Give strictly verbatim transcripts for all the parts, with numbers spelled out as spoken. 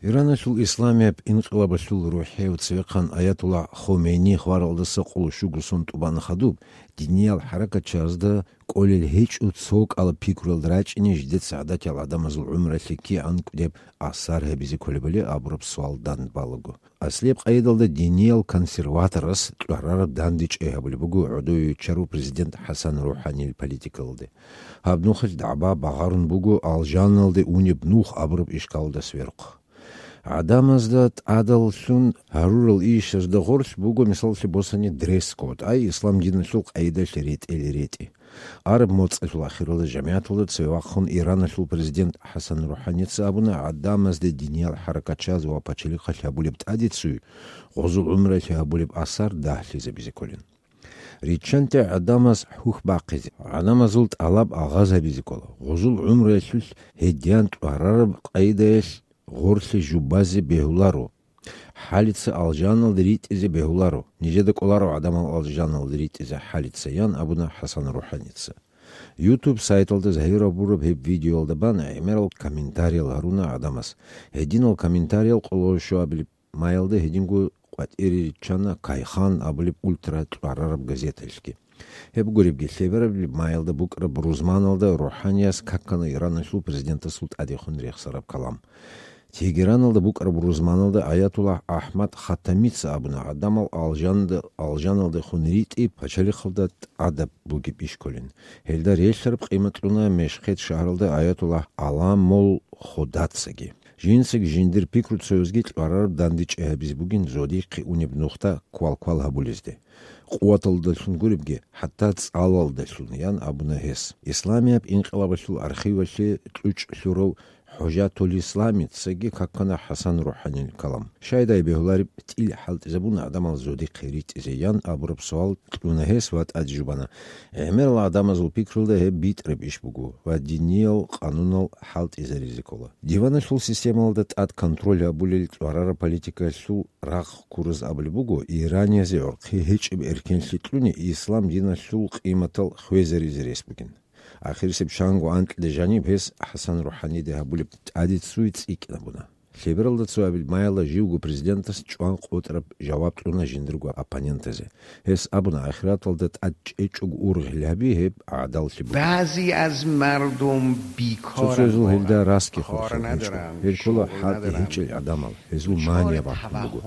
Ираналъул исламияб инкъилабалъул рухӀев цевехъан Аятуллагь Хомейни хваралдаса къоло щуго сон тӀубан хадуб, диниял хӀаракатчазда кӀолел гьечӀо цо кӀалаб пикруялда рачӀине жидеца гӀадатиял гӀадамазул гӀумралъе кигӀан кӀудеб асар гьабизе кколебали абураб суал данде балаго. Аслияб къайдалда диниял консерваторас кьварараб дандечӀей гьабулеб буго гӀодове виччарав президент ХӀасан РухӀанил политикалде. Гьаб нухалъ дагӀба багъарун буго алжаналде унеб нух абураб ишкалалдаса верухъ. ГӀадамазда тӀадаллъун гьарурал ишазда гъорлъ буго, мисалалъе босани, дресс-код, ай ислам диналъул къайдалъ ретӀел ретӀи. Араб моцӀалъул ахиралда жамигӀаталда цеве вахъун Ираналъул президент ХӀасан РухӀаница абуна, гӀадамазда диниял хӀаракатчаз ва пачалихъалъ гьабулеб тӀадеццуй гъозул гӀумралъе гьабулеб асар дагьлъизабизе кколин. Риччанте гӀадамаз хӀухь бахъизе, гӀадамазул тӀалаб агъаз гьабизе ккола, гъозул гӀумруялъулъ гьедиян тӀварараб къайдаялъ гъорлъе жубазе бегьуларо. ХӀалица алжаналде ритӀизе бегьуларо, нижеда кӀоларо гӀадамал алжаналде ритӀизе хӀалица, ян абуна ХӀасан РухӀаница. YouTube сайталда загьир гьабураб гьеб видеоялда бан гӀемерал комментариял гьаруна гӀадамаз. Гьединал комментариял къоло щуабилеб маялда гьединго къватӀире риччана Кайхан абулеб ультра-тӀварараб газеталъги. Гьеб гуребги, лъеберабилеб маялда букӀараб рузманалда РухӀаниас какана Ираналъул президентасул тӀадехун рехсараб калам. Тегераналда букӀараб рузманалда Аятуллагь АхӀмад Хатамица абуна, гӀадамал алжанда-, алжаналдехун ритӀи пачалихъалда тӀадаб бугеб иш кколин. Гьелда релълъараб къимат кьуна Мешхед шагьаралда Аятуллагь Аламул Худацаги. Жинцаги жиндир пикру цоязги кьварараб дандечӀей гьабизе бугин зодихъе унеб нухда квалквал гьабулезде. Къуваталдалъун гуребги, хӀатта цӀалалдалъун, ян абуна гьес. Исламияб инкъилабалъул архивалъе кьучӀ лъурав ХӀужатулисламицаги какана ХӀасан РухӀанил калам. Щайдай бегьулареб тӀил хӀалтӀизабун гӀадамал зодихъе ритӀизе, ян абураб суал кьуна гьес ва тӀаде жубана, гӀемерал гӀадамазул пикрулда гьеб битӀараб иш буго ва диниял къанунал хӀалтӀизаризе ккола. Диваналъул системалда тӀад контроль гьабулел кьварараб политикалъул рахъ ккураз абулеб буго, Ираниязде гӀорхъи гьечӀеб эркенлъи кьуни ислам диналъул къиматал хвезаризе рес бугин. Ахирисеб чанго анкьида жаниб гьес ХӀасан РухӀаниде гьабулеб тӀадеццуй цӀикӀкӀинабуна. Лъебералда цоабил маялда живго президентас чӀван къотӀраб жаваб кьуна жиндирго оппонентазе. Гьес абуна, ахираталда тӀад чӀечӀого ургъел гьаби гьеб гӀадаллъи бугин. بعضی از مردم بیکارن. Цо-цоязул гьелда расги хорхун гьечӀо. Гьел ккола хӀалтӀи гьечӀел гӀадамал, гьезул мания батун буго.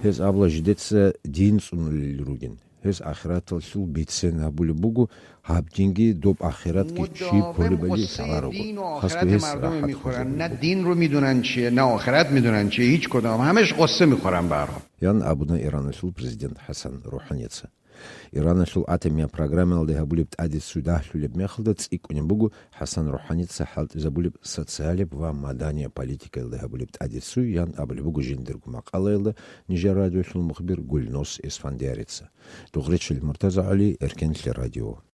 Гьез абула жидеца дин цӀунулел ругин. Гьез ахираталъул бицен гьабулеб буго, гьаб динги доб ахиратги чи кколебали лъаларого. Хасго гьес рахӀат хвезабулеб буго. دین رو می‌دونن چیه، نه آخرت می‌دونن چیه، هیچ کدام، همش غصه می‌خورن به هر حال. Ян абуна Ираналъул президент ХӀасан РухӀаница. Ираналъул атомияб программаялде гьабулеб тӀадеццуй дагьлъулеб мехалда цӀикӀкӀунеб буго ХӀасан РухӀаница хӀалтӀизабулеб социалияб ва маданияб политикаялде гьабулеб тӀадеццуй, ян абулеб буго жиндирго макъалаялда нижер радиолъул мухбир Гульнос Эсфандиярица. Дугъречил МуртазагӀали, Эркенлъи радио.